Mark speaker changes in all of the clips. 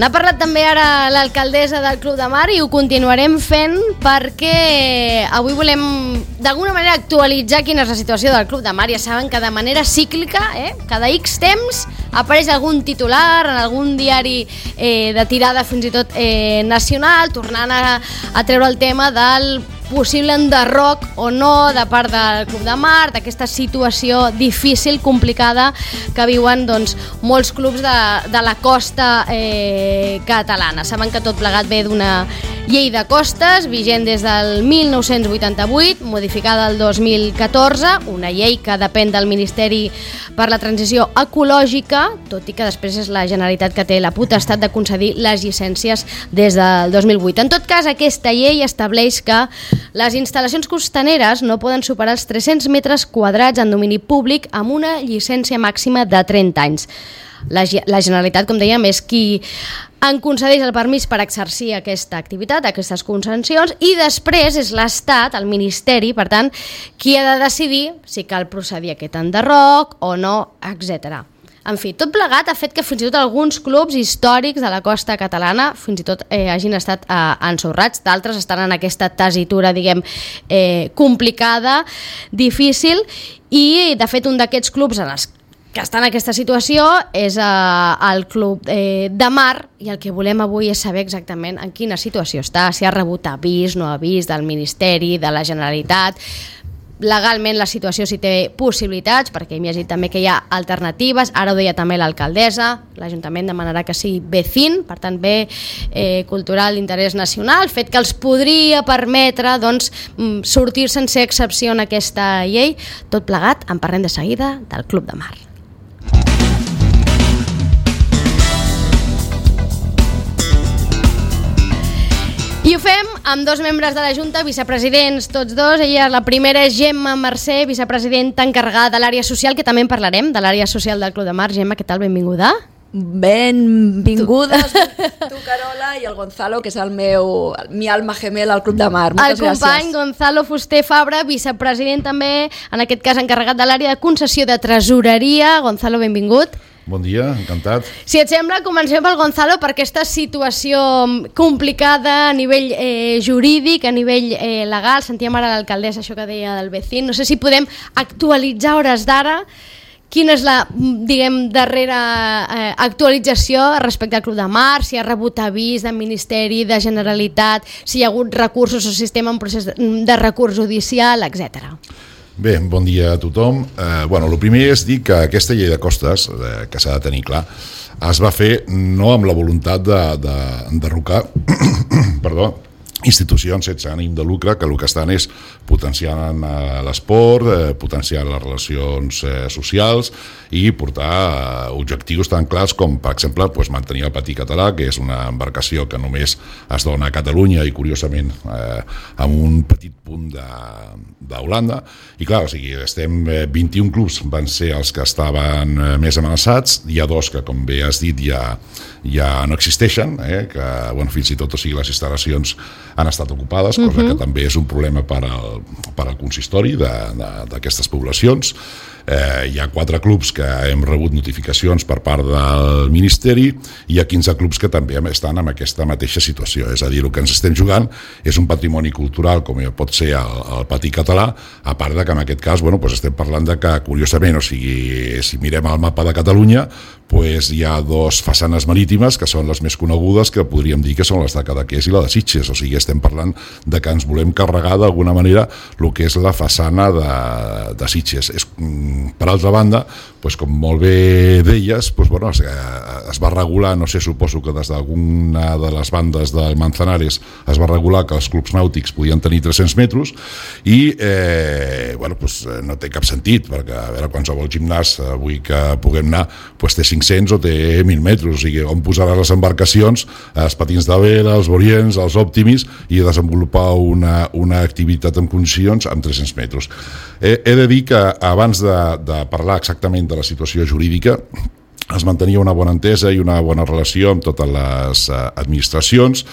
Speaker 1: N'ha parlat també ara l'alcaldessa del Club de Mar i ho continuarem fent perquè avui volem d'alguna manera actualitzar quina és la situació del Club de Mar. Ja saben que de manera cíclica, cada X temps apareix algun titular en algun diari de tirada fins i tot nacional, tornant a treure el tema del possible enderroc o no de part del Club de Mar, d'aquesta situació difícil, complicada que viuen molts clubs de la costa catalana. Saben que tot plegat ve d'una llei de costes vigent des del 1988, modificada el 2014, una llei que depèn del Ministeri per la Transició Ecològica, tot i que després és la Generalitat que té la potestat de concedir les llicències des del 2008. En tot cas, aquesta llei estableix que les instal·lacions costaneres no poden superar els 300 metres quadrats en domini públic amb una llicència màxima de 30 anys. La Generalitat, com dèiem, és qui en concedeix el permís per exercir aquesta activitat, aquestes concessions, i després és l'Estat, el Ministeri, per tant, qui ha de decidir si cal procedir a aquest enderroc o no, etc. En fi, tot plegat ha fet que fins i tot alguns clubs històrics de la costa catalana fins i tot hagin estat ensorrats, d'altres estan en aquesta tessitura, complicada, difícil, i de fet un d'aquests clubs que està en aquesta situació és el Club de Mar, i el que volem avui és saber exactament en quina situació està, si ha rebut avís, no avís del Ministeri, de la Generalitat, legalment la situació si té possibilitats, perquè hem llegit també que hi ha alternatives, ara ho deia també l'alcaldessa, l'Ajuntament demanarà que sigui B5, per tant bé cultural d'interès nacional, fet que els podria permetre sortir sense excepció en aquesta llei. Tot plegat, en parlem de seguida del Club de Mar. I ho fem amb dos membres de la Junta, vicepresidents tots dos. Ella, la primera és Gemma Mercè, vicepresidenta encarregada de l'àrea social, que també en parlarem, de l'àrea social del Club de Mar. Gemma, què tal? Benvinguda.
Speaker 2: Benvingudes, tu Carola, i el Gonzalo, que és mi alma gemela al Club de Mar. Moltes gràcies.
Speaker 1: El company Gonzalo Fuster Fabra, vicepresident també, en aquest cas encarregat de l'àrea de concessió de tresoreria. Gonzalo, benvingut.
Speaker 3: Bon dia, encantat.
Speaker 1: Si et sembla, comencem pel Gonzalo per aquesta situació complicada a nivell jurídic, a nivell legal. Sentíem ara l'alcaldessa, això que deia del B5. No sé si podem actualitzar hores d'ara quina és la, darrera actualització respecte al Club de Mar, si ha rebut avís del Ministeri, de Generalitat, si hi ha hagut recursos o sistema en procés de recurs judicial, etc.
Speaker 3: Bé, bon dia a tothom. El primer és dir que aquesta llei de costes, que s'ha de tenir clar, es va fer no amb la voluntat d'enderrocar institucions sense ànim de lucre, que el que estan és potenciant l'esport, potenciant les relacions socials i portar objectius tan clars com, per exemple, mantenir el patí català, que és una embarcació que només es dona a Catalunya i, curiosament, amb un petit punt d'Holanda. I clar, estem 21 clubs van ser els que estaven més amenaçats. Hi ha dos que, com bé has dit, ja no existeixen, que fins i tot les instal·lacions han estat ocupades, cosa que també és un problema per al consistori d'aquestes poblacions. Hi ha 4 clubs que hem rebut notificacions per part del Ministeri i hi ha 15 clubs que també estan en aquesta mateixa situació. És a dir, el que ens estem jugant és un patrimoni cultural com pot ser el patí català, a part que en aquest cas estem parlant de que, curiosament, si mirem el mapa de Catalunya, hi ha 2 façanes marítimes que són les més conegudes, que podríem dir que són les de Cadaqués i la de Sitges. O sigui, estem parlant de que ens volem carregar d'alguna manera el que és la façana de Sitges. Per altra banda, com molt bé deies, es va regular, no sé, suposo que des d'alguna de les bandes del Manzanares es va regular que els clubs nàutics podien tenir 300 metres i no té cap sentit, perquè a veure, qualsevol gimnàs avui que puguem anar té 500 o té 1.000 metres, o sigui, on posaràs les embarcacions, els patins de vela, els Vorients, els Optimis, i desenvolupar una activitat en condicions amb 300 metres. He de dir que abans de parlar exactament de la situació jurídica, es mantenia una bona entesa i una bona relació amb totes les administracions.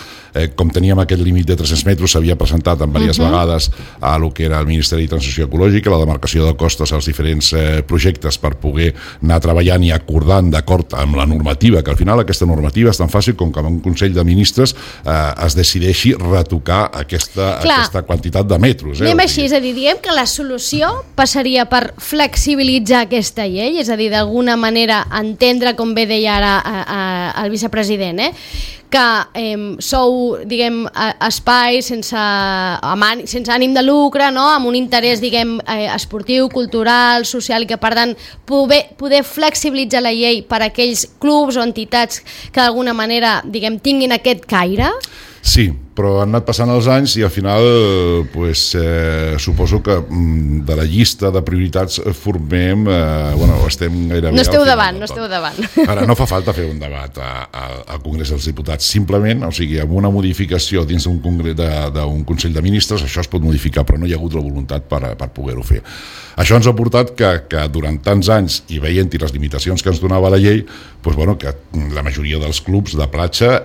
Speaker 3: com teníem aquest límit de 300 metres, s'havia presentat en diverses vegades a lo que era el Ministeri de Transició Ecològica, la demarcació de costes als diferents projectes per poder anar treballant i acordant d'acord amb la normativa, que al final aquesta normativa és tan fàcil com que en un Consell de Ministres es decideixi retocar aquesta quantitat de metres.
Speaker 1: Anem així, és a dir, diguem que la solució passaria per flexibilitzar aquesta llei, és a dir, d'alguna manera entendre, com bé deia ara el vicepresident, que sou, diguem, espais sense ànim de lucre, no? Amb un interès, diguem, esportiu, cultural, social, i que per tant poder flexibilitzar la llei per a aquells clubs o entitats que d'alguna manera, diguem, tinguin aquest caire?
Speaker 3: Sí, però han anat passant els anys i al final suposo que de la llista de prioritats formem, estem gairebé...
Speaker 1: No esteu davant.
Speaker 3: Ara, no fa falta fer un debat al Congrés dels Diputats, simplement, o sigui, amb una modificació dins d'un Consell de Ministres, això es pot modificar, però no hi ha hagut la voluntat per poder-ho fer. Això ens ha portat que durant tants anys, i veient-hi les limitacions que ens donava la llei, que la majoria dels clubs de platja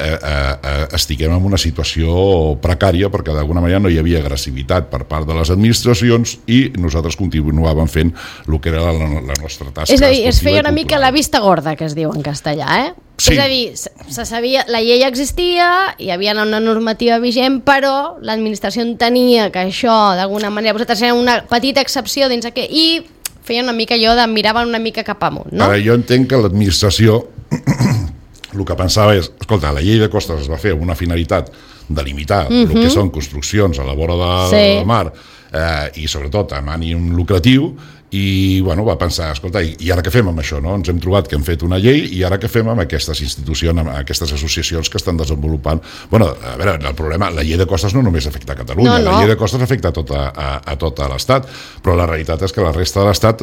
Speaker 3: estiguem en una situació precària, perquè d'alguna manera no hi havia agressivitat per part de les administracions i nosaltres continuàvem fent el que era la nostra tasca.
Speaker 1: És a dir, es feia una mica la vista gorda, que es diu en castellà, Sí. És a dir, se sabia, la llei existia, hi havia una normativa vigent, però l'administració entenia que això, d'alguna manera, vosaltres era una petita excepció dins aquest, i feien una mica allò de miraven una mica cap amunt, no?
Speaker 3: Ara, jo entenc que l'administració el que pensava és, escolta, la llei de costes es va fer amb una finalitat de limitar el que són construccions a la vora del mar i sobretot amb ànim lucratiu, i va pensar, escolta, i ara què fem amb això? No? Ens hem trobat que hem fet una llei i ara què fem amb aquestes institucions, amb aquestes associacions que estan desenvolupant? A veure, el problema, la llei de costes no només afecta a Catalunya, la llei de costes afecta a tot l'Estat, però la realitat és que la resta de l'Estat,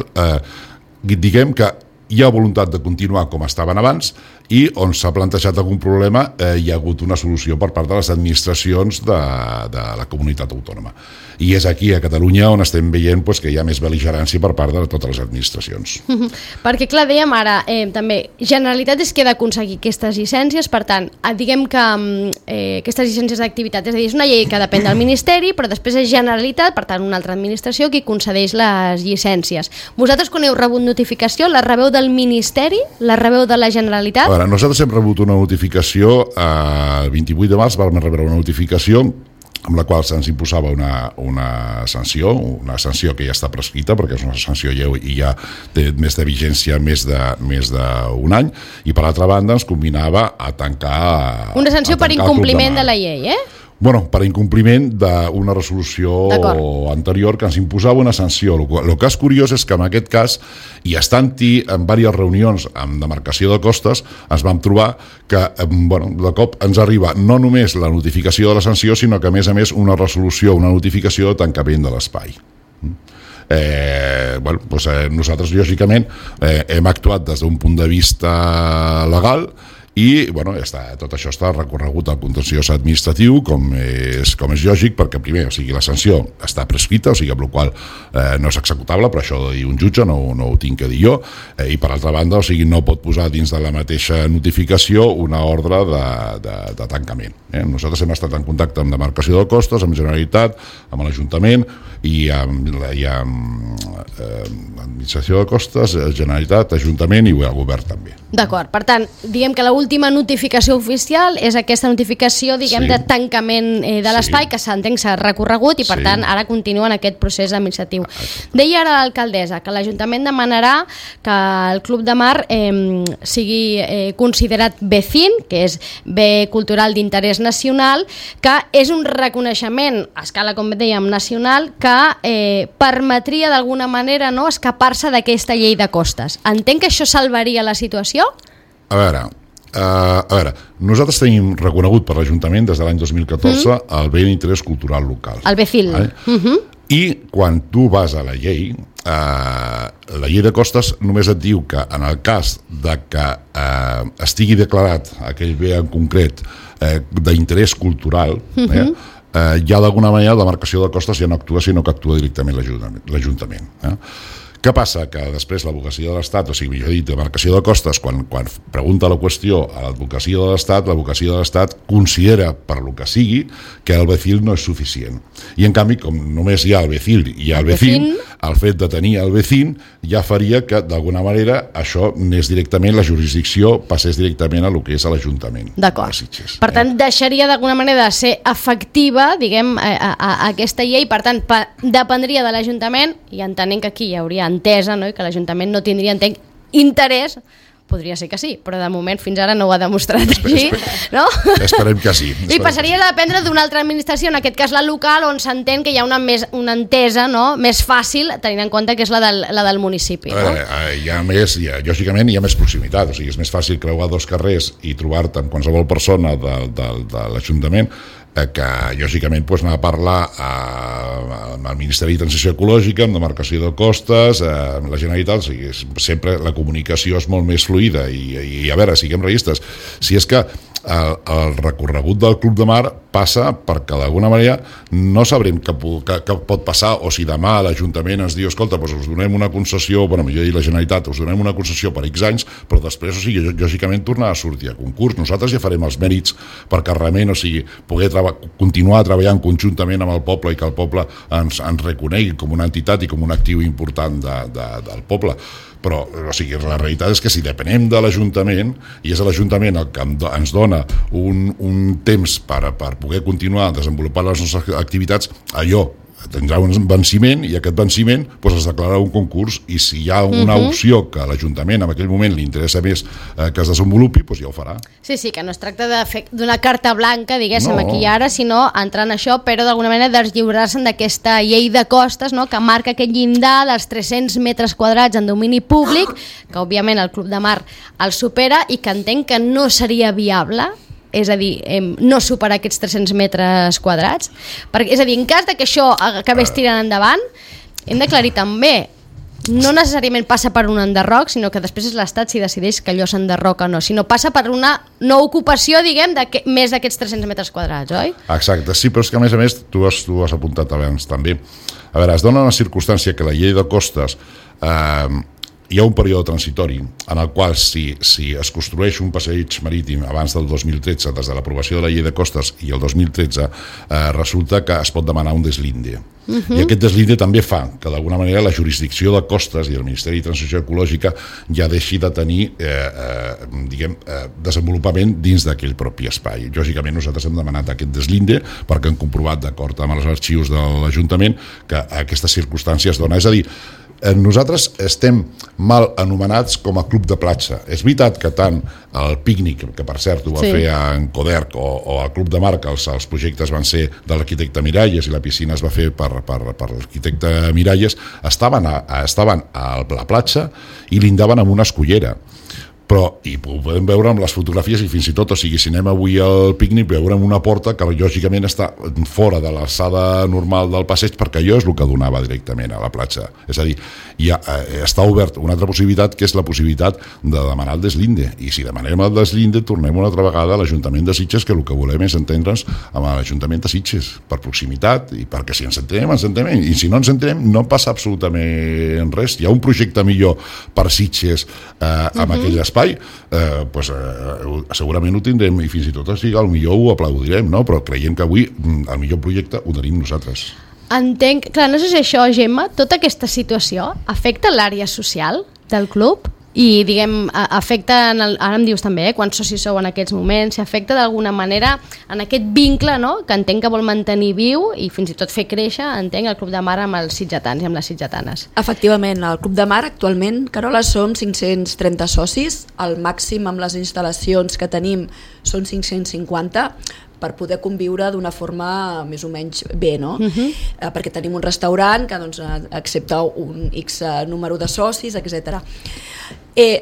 Speaker 3: diguem que hi ha voluntat de continuar com estaven abans i on s'ha plantejat algun problema hi ha hagut una solució per part de les administracions de la comunitat autònoma. I és aquí, a Catalunya, on estem veient que hi ha més bel·ligerància per part de totes les administracions.
Speaker 1: Perquè, clar, dèiem ara, també, Generalitat és que ha d'aconseguir aquestes llicències, per tant, diguem que aquestes llicències d'activitat, és a dir, és una llei que depèn del Ministeri, però després és Generalitat, per tant, una altra administració qui concedeix les llicències. Vosaltres, quan heu rebut notificació, la rebeu del Ministeri? La rebeu de la Generalitat?
Speaker 3: A veure, nosaltres hem rebut una notificació, el 28 de març vam rebre una notificació amb la qual se'ns imposava una sanció que ja està prescrita, perquè és una sanció lleu i ja té més de vigència més d'un any, i per altra banda ens combinava a tancar...
Speaker 1: Una sanció per incompliment de la llei,
Speaker 3: Per incompliment d'una resolució anterior que ens imposava una sanció. El que és curiós és que en aquest cas, i estant-hi en diverses reunions amb demarcació de costes, ens vam trobar que de cop ens arriba no només la notificació de la sanció, sinó que a més una resolució, una notificació de tancament de l'espai. Nosaltres, lògicament, hem actuat des d'un punt de vista legal i tot això està recorregut al contenciós administratiu com és lògic, perquè primer, la sanció està prescrita, amb la qual no és executable, però això ho ha de dir un jutge, no ho tinc que dir jo, i per altra banda, no pot posar dins de la mateixa notificació una ordre de tancament. Nosaltres hem estat en contacte amb demarcació de costes, amb Generalitat, amb l'Ajuntament i amb l'administració de costes, Generalitat, Ajuntament i el govern també.
Speaker 1: D'acord, per tant, diguem que l'última notificació oficial és aquesta notificació, diguem, de tancament de l'espai, que s'entén que s'ha recorregut i per tant ara continua en aquest procés administratiu. Deia ara l'alcaldessa que l'Ajuntament demanarà que el Club de Mar sigui considerat BCIN, que és bé cultural d'interès nacional, que és un reconeixement a escala, com dèiem, nacional, que permetria d'alguna manera escapar-se d'aquesta llei de costes. Entenc que això salvaria la situació?
Speaker 3: A veure, nosaltres tenim reconegut per l'Ajuntament des de l'any 2014 el bé d'interès cultural local.
Speaker 1: El BCIL.
Speaker 3: I quan tu vas a la llei de costes només et diu que en el cas de que estigui declarat aquell bé en concret d'interès cultural, ja d'alguna manera la demarcació de costes ja no actua, sinó que actua directament l'Ajuntament. Què passa? Que després l'advocacia de l'Estat, o sigui, millor dit, demarcació de costes, quan pregunta la qüestió a l'advocacia de l'Estat considera, per lo que sigui, que el BECIL no és suficient. I en canvi, com només hi ha el BECIL i el BECIN, el fet de tenir el BECIN ja faria que, d'alguna manera, això anés directament, la jurisdicció passés directament a lo que és a l'Ajuntament de Sitges.
Speaker 1: Per tant, deixaria d'alguna manera de ser efectiva, diguem, a aquesta llei, per tant, dependria de l'Ajuntament, i entenent que aquí hi hauria entesa, no? I que l'Ajuntament no tindria interès, podria ser que sí, però de moment fins ara no ho ha demostrat així, no?
Speaker 3: Esperem que sí.
Speaker 1: I passaria a dependre d'una altra administració, en aquest cas la local, on s'entén que hi ha una entesa, no? Més fàcil, tenint en compte que és la del municipi. No?
Speaker 3: Lògicament hi ha més proximitat, o sigui, és més fàcil creuar dos carrers i trobar-te amb qualsevol persona de l'Ajuntament que lògicament anar a parlar amb el Ministeri de Transició Ecològica, amb demarcació de costes, amb la Generalitat, o sigui, sempre la comunicació és molt més fluida i a veure, siguem realistes, si és que el recorregut del Club de Mar passa perquè d'alguna manera no sabrem què pot passar, o si demà l'Ajuntament ens diu, escolta, doncs us donem una concessió, millor dir la Generalitat, us donem una concessió per X anys, però després, o sigui, lògicament tornar a sortir a concurs. Nosaltres ja farem els mèrits perquè realment, o sigui, poder continuar treballant conjuntament amb el poble i que el poble ens reconegui com una entitat i com un actiu important del poble. Però, o sigui, la realitat és que si depenem de l'Ajuntament, i és l'Ajuntament el que ens dona un temps per poder continuar desenvolupant les nostres activitats, allò tindrà un venciment i aquest venciment es declararà un concurs, i si hi ha una opció que a l'Ajuntament en aquell moment li interessa més que es desenvolupi, ja ho farà.
Speaker 1: Sí, que no es tracta d'una carta blanca, diguéssim, aquí i ara, sinó entrar en això, però d'alguna manera deslliurar-se d'aquesta llei de costes, no?, que marca aquest llindar dels 300 metres quadrats en domini públic, que òbviament el Club de Mar el supera i que entenc que no seria viable, és a dir, no superar aquests 300 metres quadrats. És a dir, en cas que això acabés tirant endavant, hem d'aclarir també, no necessàriament passa per un enderroc, sinó que després és l'Estat si decideix que allò s'enderroca o no, sinó passa per una no ocupació, diguem, més d'aquests 300 metres quadrats, oi?
Speaker 3: Exacte, sí, però és que a més tu has apuntat abans també. A veure, es dona una circumstància que la llei de costes hi ha un període transitori en el qual si es construeix un passeig marítim abans del 2013, des de l'aprovació de la llei de costes i el 2013, resulta que es pot demanar un deslinde. I aquest deslinde també fa que d'alguna manera la jurisdicció de costes i el Ministeri de Transició Ecològica ja deixi de tenir desenvolupament dins d'aquell propi espai. Lògicament nosaltres hem demanat aquest deslinde perquè hem comprovat, d'acord amb els arxius de l'Ajuntament, que aquesta circumstància es dona. És a dir, nosaltres estem mal anomenats com a club de platja. És veritat que tant el pícnic, que per cert ho va fer en Coderc, o el Club de Mar, que els projectes van ser de l'arquitecte Miralles i la piscina es va fer per l'arquitecte Miralles, estaven a la platja i lindaven amb una escullera. Però, i ho podem veure amb les fotografies i fins i tot, o sigui, si anem avui al pícnic veurem una porta que lògicament està fora de l'alçada normal del passeig, perquè allò és el que donava directament a la platja. És a dir, està obert una altra possibilitat, que és la possibilitat de demanar el deslinde, i si demanem el deslinde tornem una altra vegada a l'Ajuntament de Sitges, que el que volem és entendre'ns amb l'Ajuntament de Sitges, per proximitat, i perquè si ens entenem, i si no ens entenem no passa absolutament res. Hi ha un projecte millor per Sitges amb aquell espai, segurament ho tindrem, i fins i tot al millor ho aplaudirem, no? Però creiem que avui el millor projecte ho tenim nosaltres.
Speaker 1: Entenc, clar, no sé si això, Gemma, tota aquesta situació afecta l'àrea social del club? I, diguem, afecta, ara em dius també, quants socis sou en aquests moments, si afecta d'alguna manera en aquest vincle, no?, que entenc que vol mantenir viu i fins i tot fer créixer, entenc, el Club de Mar amb els sitgetans i amb les sitgetanes.
Speaker 2: Efectivament, al Club de Mar actualment, Carola, som 530 socis, el màxim amb les instal·lacions que tenim són 550, per poder conviure d'una forma més o menys bé, no? Perquè tenim un restaurant que accepta un X número de socis, etc.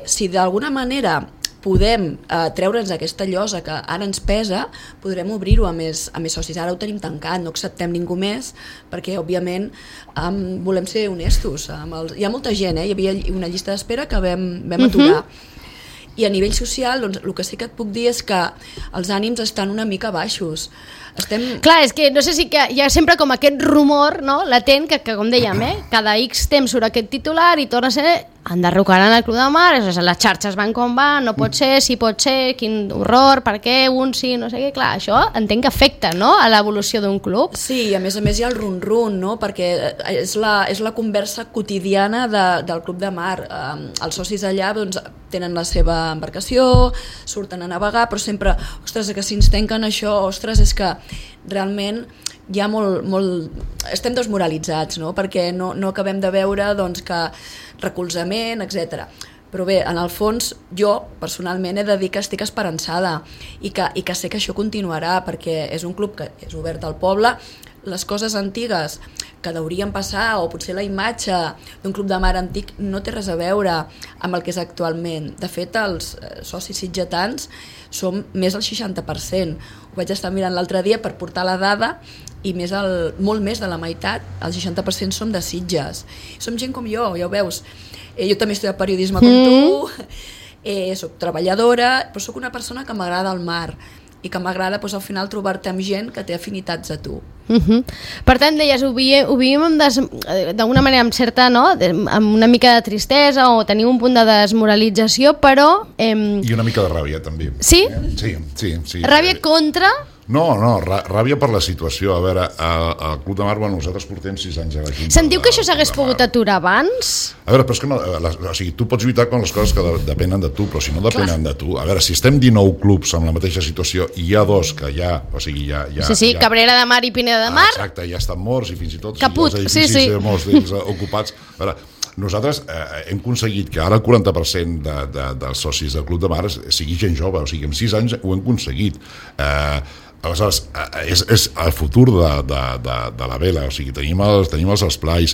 Speaker 2: Si d'alguna manera podem treure'ns aquesta llosa que ara ens pesa, podrem obrir-ho a més socis. Ara ho tenim tancat, no acceptem ningú més, perquè òbviament volem ser honestos. Hi ha molta gent, hi havia una llista d'espera que vam aturar. I a nivell social, doncs, el que sí que et puc dir és que els ànims estan una mica baixos.
Speaker 1: Clar, és que no sé si que hi ha sempre com aquest rumor, no?, latent, que com dèiem, cada X temps surt aquest titular i torna a ser enderrocaran el Club de Mar, les xarxes van com van, no pot ser, sí pot ser, quin horror, per què, un sí, no sé què, clar, això entenc que afecta, no?, a l'evolució d'un club.
Speaker 2: Sí, i a més hi ha el run-run, no?, perquè és la conversa quotidiana del Club de Mar. Els socis allà doncs, tenen la seva embarcació, surten a navegar, però sempre, ostres, que si ens tanquen això, ostres, és que realment hi ha estem desmoralitzats, no?, perquè no acabem de veure doncs, que recolzament, etc. Però bé, en el fons, jo personalment he de dir que estic esperançada i que sé que això continuarà, perquè és un club que és obert al poble. Les coses antigues que deurien passar, o potser la imatge d'un club de mar antic, no té res a veure amb el que és actualment. De fet, els socis sitgetans som més del 60%. Ho vaig estar mirant l'altre dia per portar la dada i molt més de la meitat, el 60% som de Sitges. Som gent com jo, ja ho veus. Jo també he estudiat periodisme com tu, soc treballadora, però soc una persona que m'agrada el mar i que m'agrada al final trobar-te amb gent que té afinitats a tu.
Speaker 1: Per tant, deies, ho vivim d'alguna manera amb certa, no?, amb una mica de tristesa o tenim un punt de desmoralització, però...
Speaker 3: I una mica de ràbia, també.
Speaker 1: Sí?
Speaker 3: Sí.
Speaker 1: Ràbia contra...
Speaker 3: No, ràbia per la situació. A veure, al Club de Mar, nosaltres portem 6 anys a la Junta.
Speaker 1: Sentiu que això s'hagués pogut aturar abans?
Speaker 3: A veure, però és que no, o sigui, tu pots lluitar con les coses que depenen de tu, però si no depenen de tu... A veure, si estem 19 clubs amb la mateixa situació i hi ha 2 que ja... O sigui,
Speaker 1: Sí, Cabrera de Mar i Pineda de Mar.
Speaker 3: Exacte, ja estan morts i fins i tot
Speaker 1: Caput,
Speaker 3: els edificis molts d'ells ocupats. A veure, nosaltres hem aconseguit que ara el 40% dels socis del Club de Mar sigui gent jove, o sigui, en 6 anys ho hem aconseguit. Aleshores, és el futur de la vela, o sigui, tenim els esplais,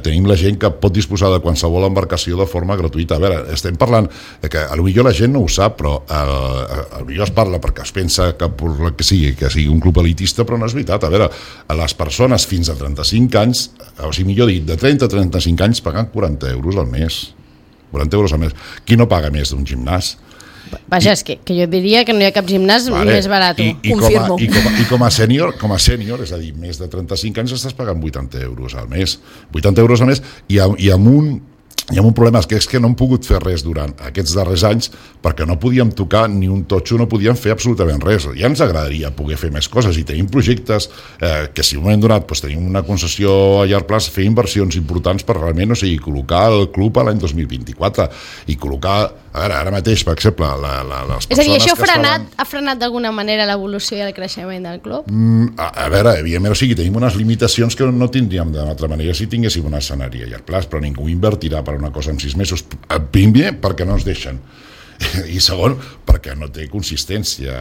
Speaker 3: tenim la gent que pot disposar de qualsevol embarcació de forma gratuïta. A veure, estem parlant que potser la gent no ho sap, però potser es parla perquè es pensa que sigui un club elitista, però no és veritat. A veure, les persones fins a 35 anys, o sigui, millor dit, de 30 a 35 anys paguen 40 euros al mes. 40 euros al mes. Qui no paga més d'un gimnàs?
Speaker 1: Vaja, és que jo diria que no hi ha cap gimnàs més barat.
Speaker 2: Confirmo.
Speaker 3: I com a sènior, és a dir, més de 35 anys estàs pagant 80 euros al mes. 80 euros al mes i amb un problema, que és que no hem pogut fer res durant aquests darrers anys perquè no podíem tocar ni un totxo, no podíem fer absolutament res. Ja ens agradaria poder fer més coses i tenim projectes que si en un moment donat tenim una concessió a llarg plaç, fer inversions importants per realment, o sigui, col·locar el club a l'any 2024 i col·locar, ara mateix, per exemple, les persones...
Speaker 1: És a dir, això ha frenat d'alguna manera l'evolució i el creixement del club?
Speaker 3: A veure, evidentment, o sigui, tenim unes limitacions que no tindríem d'una altra manera si tinguéssim un escenari a llarg plaç, però ningú invertirà per una cosa en 6 mesos. Primer, perquè no ens deixen. I segon, perquè no té consistència.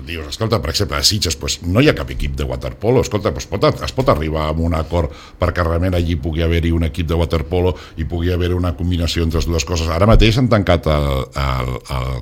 Speaker 3: Dius, escolta, per exemple, a Sitges no hi ha cap equip de waterpolo. Escolta, es pot arribar a un acord perquè realment allí pugui haver-hi un equip de waterpolo i pugui haver una combinació entre les dues coses. Ara mateix han tancat el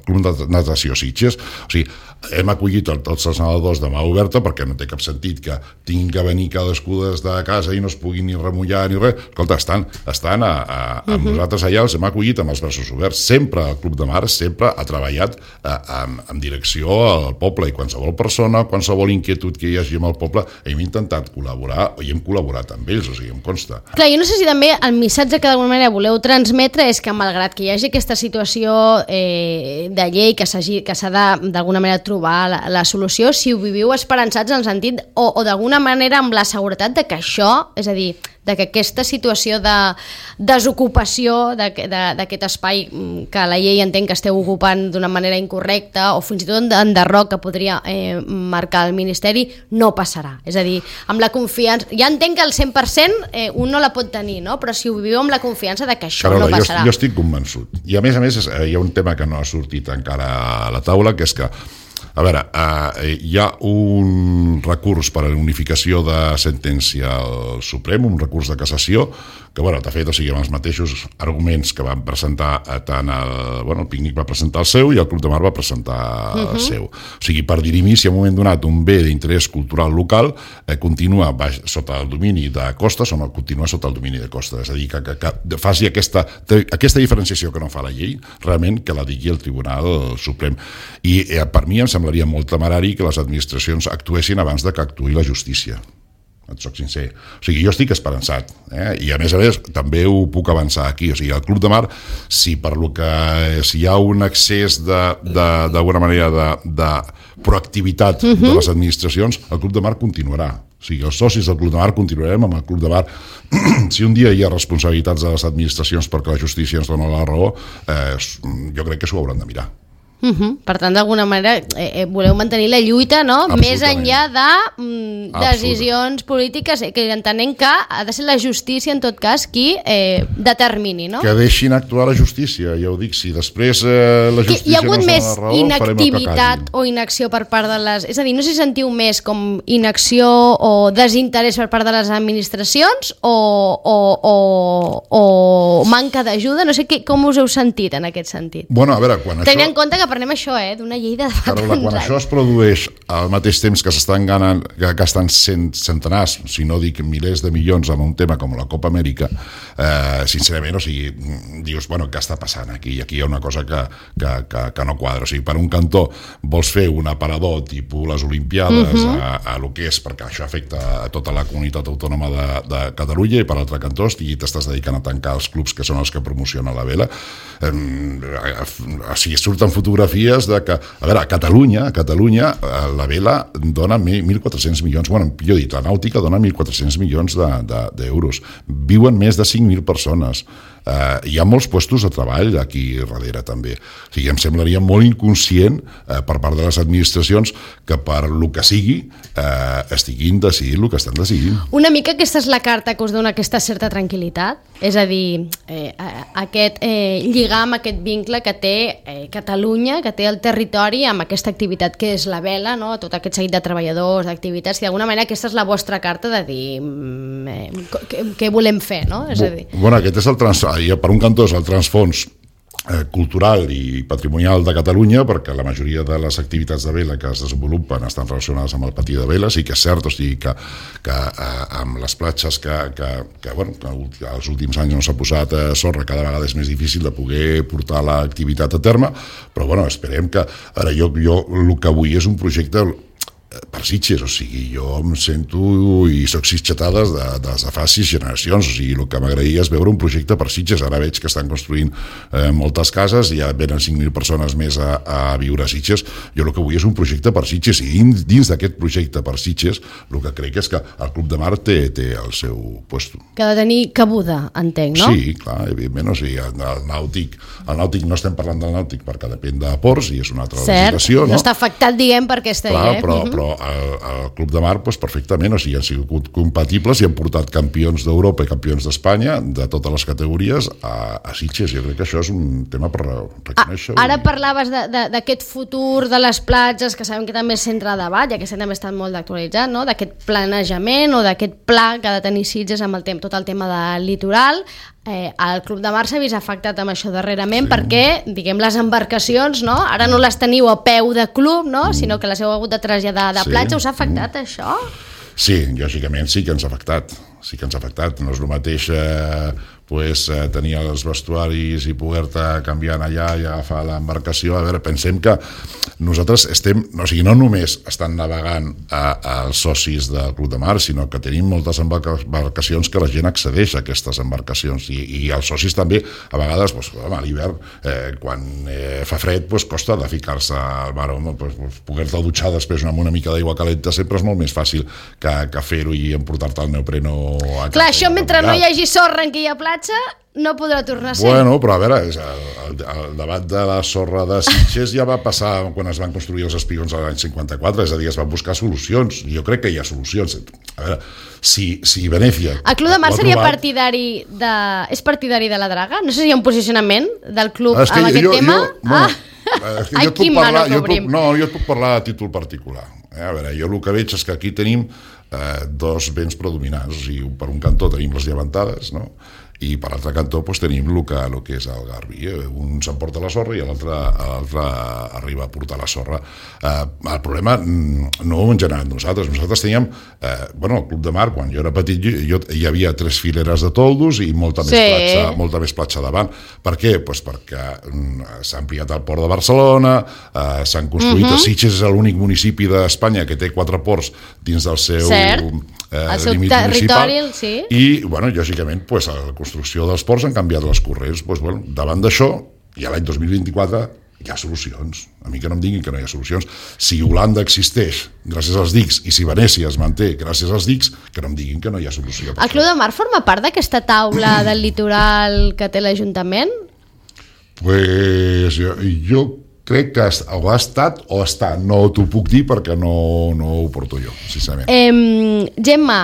Speaker 3: Club de Natació Sitges. O sigui, hem acollit tots els nedadors de mà oberta perquè no té cap sentit que tinguin que venir cadascú des de casa i no es puguin ni remullar ni res. Escolta, estan amb nosaltres allà, els hem acollit amb els braços oberts. Sempre el Club de Mar sempre ha treballat en direcció al poble i qualsevol persona, qualsevol inquietud que hi hagi amb el poble, hem intentat col·laborar i hem col·laborat amb ells, o sigui, em consta.
Speaker 1: Clar, jo no sé si també el missatge que d'alguna manera voleu transmetre és que malgrat que hi hagi aquesta situació de llei que s'ha d'alguna manera trobar la solució, si ho viviu esperançats en el sentit o d'alguna manera amb la seguretat de que això, és a dir, de que aquesta situació de desocupació d'aquest espai que la llei entén que esteu ocupant d'una manera incorrecta o fins i tot d'enderroc que podria marcar el Ministeri, no passarà. És a dir, amb la confiança... Ja entenc que el 100% un no la pot tenir, no? Però si ho viviu amb la confiança de que això
Speaker 3: Carola,
Speaker 1: no passarà.
Speaker 3: Jo estic convençut. I a més, hi ha un tema que no ha sortit encara a la taula, que és que A veure, hi ha un recurs per a la unificació de sentència al Suprem, un recurs de cassació, que, bueno, de fet, o sigui, amb els mateixos arguments que van presentar tant el Pícnic va presentar el seu i el Club de Mar va presentar el seu. O sigui, per dirimir si en un moment donat un bé d'interès cultural local continua sota el domini de Costes o no continua sota el domini de Costes. És a dir, que faci aquesta diferenciació que no fa la llei, realment que la digui el Tribunal Suprem. I per mi em semblaria molt temerari que les administracions actuessin abans de que actuï la justícia. Et soc sincer. O sigui, jo estic esperançat, i a més també ho puc avançar aquí. O sigui, el Club de Mar, si hi ha un excés d'alguna manera de proactivitat de les administracions, el Club de Mar continuarà. O sigui, els socis del Club de Mar continuarem amb el Club de Mar. Si un dia hi ha responsabilitats de les administracions perquè la justícia ens dona la raó, jo crec que s'ho hauran de mirar.
Speaker 1: Per tant, d'alguna manera, voleu mantenir la lluita, no? Més enllà de decisions polítiques, que entenem que ha de ser la justícia, en tot cas, qui determini, no?
Speaker 3: Que deixin actuar la justícia, ja ho dic, si després la justícia
Speaker 1: hi ha hagut
Speaker 3: no
Speaker 1: més
Speaker 3: la raó,
Speaker 1: inactivitat o inacció per part de les... És a dir, no sé si sentiu més com inacció o desinterès per part de les administracions o manca d'ajuda, no sé com us heu sentit en aquest sentit.
Speaker 3: Bueno, a veure, quan
Speaker 1: tenint en compte que parlem això, d'una llei de fa
Speaker 3: Carola, quan això es produeix al mateix temps que s'estan gastant centenars, si no dic milers de milions en un tema com la Copa Amèrica, sincerament, o sigui, dius, bueno, què està passant aquí? I aquí hi ha una cosa que no quadra. O sigui, per un cantó vols fer un aparador tipus les Olimpiades a lo que és, perquè això afecta a tota la comunitat autònoma de Catalunya, i per l'altre cantó t'estàs dedicant a tancar els clubs que són els que promocionen la vela. O sigui, surten fotografies de que, a veure, a Catalunya la vela dona 1.400 milions, bueno, millor dit, la nàutica dona 1.400 milions d'euros. Viuen més de 5.000 persones. Hi ha molts puestos de treball aquí darrere també. O sigui, em semblaria molt inconscient per part de les administracions que per lo que sigui estiguin decidint el que estan decidint.
Speaker 1: Una mica aquesta és la carta que us dona aquesta certa tranquil·litat, és a dir, aquest lligam, aquest vincle que té Catalunya, que té el territori amb aquesta activitat que és la vela, no? Tot aquest seguit de treballadors, d'activitats, i d'alguna manera aquesta és la vostra carta de dir què volem fer, no? És a dir...
Speaker 3: Bueno, aquest és per un cantó és el transfons cultural i patrimonial de Catalunya, perquè la majoria de les activitats de vela que es desenvolupen estan relacionades amb el patí de vela. Sí que és cert, o sigui, que amb les platges que els últims anys no s'ha posat sorra, cada vegada és més difícil de poder portar l'activitat a terme, però bueno, esperem que... Ara, jo el que vull és un projecte per Sitges, o sigui, jo em sento i soc sitgetades des de fa 6 generacions, o sigui, el que m'agradaria és veure un projecte per Sitges. Ara veig que estan construint moltes cases i ja venen 5.000 persones més a viure a Sitges. Jo el que vull és un projecte per Sitges, i dins d'aquest projecte per Sitges el que crec és que el Club de Mar té el seu puesto.
Speaker 1: Que ha de tenir cabuda, entenc, no?
Speaker 3: Sí, clar, evidentment, o sigui, el nàutic no estem parlant del nàutic perquè depèn de ports i és una altra legislació, no?
Speaker 1: No està afectat, diguem, per aquesta llei.
Speaker 3: Però el Club de Mar, perfectament, o sigui, han sigut compatibles i han portat campions d'Europa i campions d'Espanya de totes les categories a Sitges. Jo crec que això és un tema per reconèixer.
Speaker 1: Ara parlaves d'aquest futur de les platges, que sabem que també és centre de debat, ja que també està molt actualitzat, no? D'aquest planejament o d'aquest pla que ha de tenir Sitges amb tot el tema del litoral. El Club de Mar s'ha vist afectat amb això darrerament, perquè, diguem, les embarcacions, no? Ara no les teniu a peu de club, no? Sinó que les heu hagut de traslladar de platja. Us ha afectat això?
Speaker 3: Sí, lògicament sí que ens ha afectat. No és el mateix tenir els vestuaris i poder-te canviar allà i agafar l'embarcació. A veure, pensem que nosaltres no només estan navegant els socis del Club de Mar, sinó que tenim moltes embarcacions que la gent accedeix a aquestes embarcacions, i els socis també, a vegades, a l'hivern, quan fa fred, costa de ficar-se al mar. Poder-te dutxar després amb una mica d'aigua calenta sempre és molt més fàcil que fer-ho i emportar-te el neopreno a casa.
Speaker 1: Clar, això mentre no hi hagi sorra en aquella platja no podrà tornar a ser.
Speaker 3: Bueno, però a veure, el debat de la sorra de Sitges ja va passar quan es van construir els espigons l'any 54, és a dir, es van buscar solucions. Jo crec que hi ha solucions. A veure, si Venècia...
Speaker 1: El Club de Mar seria partidari de la draga? No sé si hi ha un posicionament del club amb aquest tema. Ai, quin mano que obrim.
Speaker 3: Jo et puc parlar a títol particular. A veure, jo el que veig és que aquí tenim dos vents predominants. O sigui, per un cantó tenim les llevantades, no? I per l'altre cantó tenim el que és el Garbi. Un s'emporta la sorra i l'altre arriba a portar la sorra. El problema no ho hem generat nosaltres. Nosaltres teníem, el Club de Mar, quan jo era petit, hi havia 3 fileres de toldos i molta més platja davant. Per què? Perquè s'ha ampliat el port de Barcelona, s'han construït, Sitges és l'únic municipi d'Espanya que té 4 ports dins del seu límit
Speaker 1: territori,
Speaker 3: municipal.
Speaker 1: sí.
Speaker 3: I, lògicament, la construcció dels ports han canviat les corrents. Davant d'això, i a l'any 2024 hi ha solucions. A mi que no em diguin que no hi ha solucions. Si Holanda existeix gràcies als dics i si Venècia es manté gràcies als dics, que no em diguin que no hi ha solució.
Speaker 1: El Club de Mar forma part d'aquesta taula del litoral que té l'Ajuntament?
Speaker 3: Pues jo crec que o ha estat o està, no t'ho puc dir perquè no ho porto jo, sincerament.
Speaker 1: Gemma,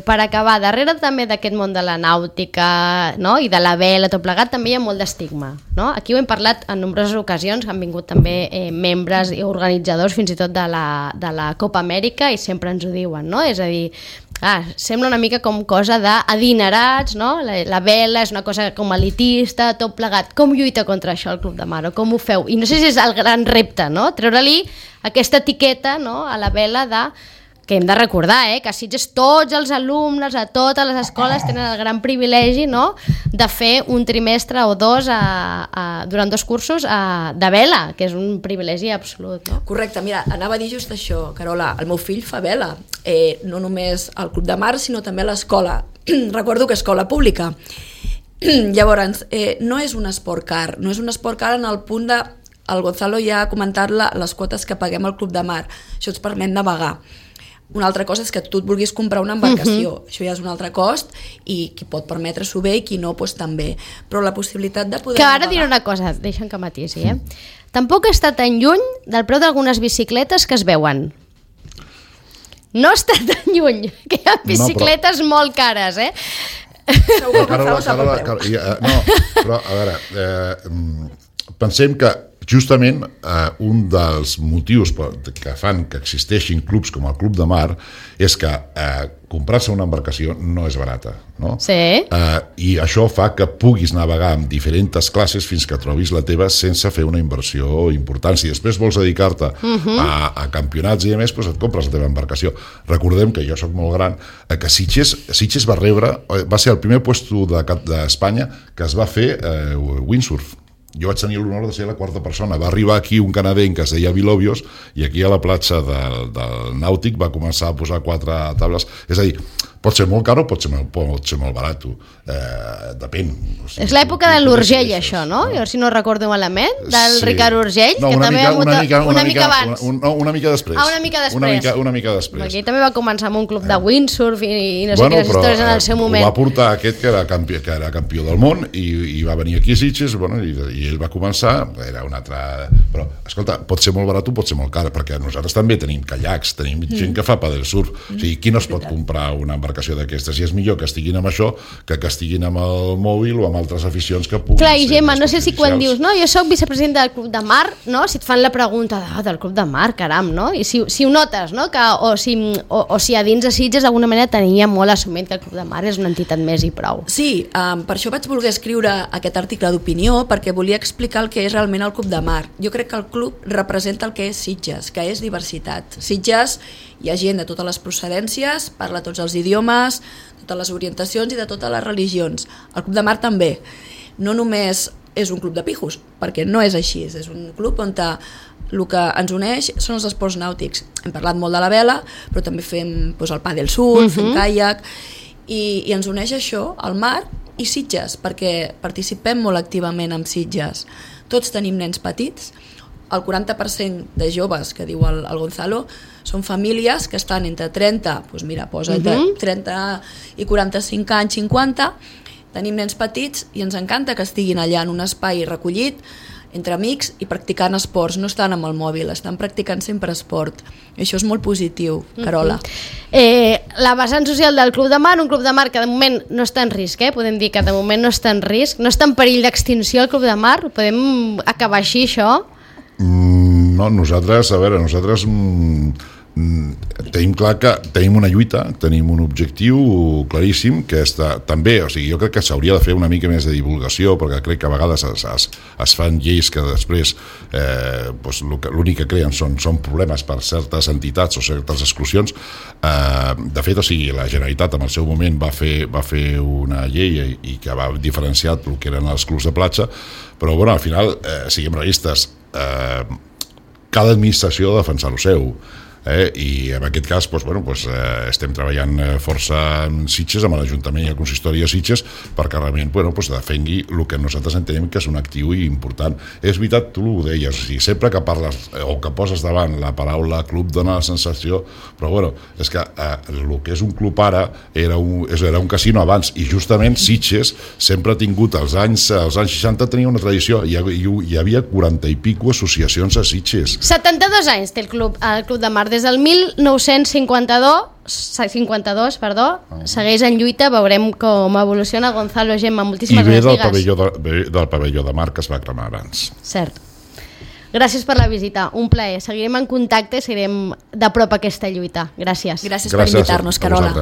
Speaker 1: per acabar, darrere també d'aquest món de la nàutica, no? I de la vela, tot plegat, també hi ha molt d'estigma, no? Aquí ho hem parlat en nombroses ocasions, han vingut també membres i organitzadors fins i tot de la Copa Amèrica i sempre ens ho diuen, no? És a dir, sembla una mica com cosa d'adinerats, no? La vela és una cosa com elitista, tot plegat. Com lluita contra això el Club de Mar? O com ho feu? I no sé si és el gran repte, no? Treure-li aquesta etiqueta, no? A la vela que hem de recordar, que a Sitges tots els alumnes a totes les escoles tenen el gran privilegi, no? De fer un trimestre o dos durant 2 cursos de vela, que és un privilegi absolut, no?
Speaker 2: Correcte, mira, anava a dir just això, Carola, el meu fill fa vela, no només al Club de Mar, sinó també a l'escola. Recordo que escola pública. Llavors, no és un esport car, no és un esport car en el punt de... El Gonzalo ja ha comentat les quotes que paguem al Club de Mar, això ens permet navegar. Una altra cosa és que tu et vulguis comprar una embarcació, això ja és un altre cost i qui pot permetre-s'ho bé i qui no, doncs també. Però la possibilitat de poder...
Speaker 1: Que ara diré una cosa, deixa'm que matisi, Tampoc està tan lluny del preu d'algunes bicicletes que es veuen. No està tan lluny, que hi ha bicicletes molt cares,
Speaker 2: Segur que
Speaker 3: Carola, però a veure, pensem que justament un dels motius que fan que existeixin clubs com el Club de Mar és que comprar-se una embarcació no és barata, no?
Speaker 1: Sí.
Speaker 3: I això fa que puguis navegar amb diferents classes fins que trobis la teva sense fer una inversió important. Si després vols dedicar-te a campionats i a més, doncs et compres la teva embarcació. Recordem que jo soc molt gran, que Sitges va ser el primer puesto d'Espanya que es va fer windsurf. Jo vaig tenir l'honor de ser la 4ª persona. Va arribar aquí un canadenc que es deia Vilobios i aquí a la platja del Nàutic va començar a posar 4 tables. És a dir, pot ser molt car o pot ser molt barat. Depèn. O sigui,
Speaker 1: és l'època de l'Urgell, això, no? Jo, si no recordo malament, del Ricard Urgell, que també una mica abans.
Speaker 3: Una mica després. Una mica després.
Speaker 1: Aquí també va començar amb un club de windsurf i no sé quines històries en el seu moment.
Speaker 3: Ho va portar aquest que era campió del món i va venir aquí a Sitges i ell va començar, era un altre... Però, escolta, pot ser molt barat o pot ser molt car, perquè nosaltres també tenim caiacs, tenim gent que fa paddlesurf. O sigui, qui no es pot comprar una embarcació d'aquestes? I és millor que estiguin amb això que estiguin amb el mòbil o amb altres aficions que puguin
Speaker 1: Clar, i
Speaker 3: ser
Speaker 1: Gemma, no sé si quan
Speaker 3: perjudicials.
Speaker 1: dius, no, jo soc vicepresidenta del Club de Mar, no? Si et fan la pregunta del Club de Mar, caram, no? I si ho notes, no? O si a dins de Sitges d'alguna manera tenia molt assumit que el Club de Mar és una entitat més i prou.
Speaker 2: Sí, per això vaig voler escriure aquest article d'opinió, perquè volia explicar el que és realment el Club de Mar. Jo crec que el club representa el que és Sitges, que és diversitat. Sitges hi ha gent de totes les procedències, parla tots els idiomes, totes les orientacions i de totes les religions. El Club de Mar també. No només és un club de pijos, perquè no és així, és un club on el que ens uneix són els esports nàutics. Hem parlat molt de la vela, però també fem el paddle-surf, fem caiac, i ens uneix això, el mar i Sitges, perquè participem molt activament amb Sitges. Tots tenim nens petits, el 40% de joves, que diu el Gonzalo, són famílies que estan entre 30, doncs mira, posa entre 30 i 45 anys, 50, tenim nens petits i ens encanta que estiguin allà en un espai recollit, entre amics i practicant esports, no estan amb el mòbil, estan practicant sempre esport. I això és molt positiu, Carola.
Speaker 1: La vessant social del Club de Mar, un Club de Mar que de moment no està en risc, podem dir que de moment no està en risc, no està en perill d'extinció el Club de Mar, podem acabar així això?
Speaker 3: No, nosaltres tenim clar que tenim una lluita, tenim un objectiu claríssim que també, o sigui, jo crec que s'hauria de fer una mica més de divulgació, perquè crec que a vegades es fan lleis que després l'únic que creen són problemes per certes entitats o certes exclusions. De fet, o sigui, la Generalitat en el seu moment va fer una llei i que va diferenciar el que eren els clubs de platja, però bueno, al final, siguem realistes, cada administració ha de defensar el seu. I en aquest cas estem treballant força en Sitges, amb l'Ajuntament i el Consistori de Sitges, perquè realment defengui el que nosaltres entenem que és un actiu important. És veritat, tu ho deies, o sigui, sempre que parles o que poses davant la paraula club dona la sensació, però és que el que és un club ara era un casino abans, i justament Sitges sempre ha tingut, als anys 60 tenia una tradició, hi havia 40 i pico associacions a Sitges.
Speaker 1: 72 anys té el Club de Mar. Des del 1952, segueix en lluita, veurem com evoluciona. Gonzalo, Gemma, moltíssimes gràcies.
Speaker 3: I del pavelló de mar que es va cremar abans.
Speaker 1: Cert. Gràcies per la visita, un plaer. Seguirem en contacte i seguirem de prop aquesta lluita. Gràcies.
Speaker 2: Gràcies per invitar-nos, Carola.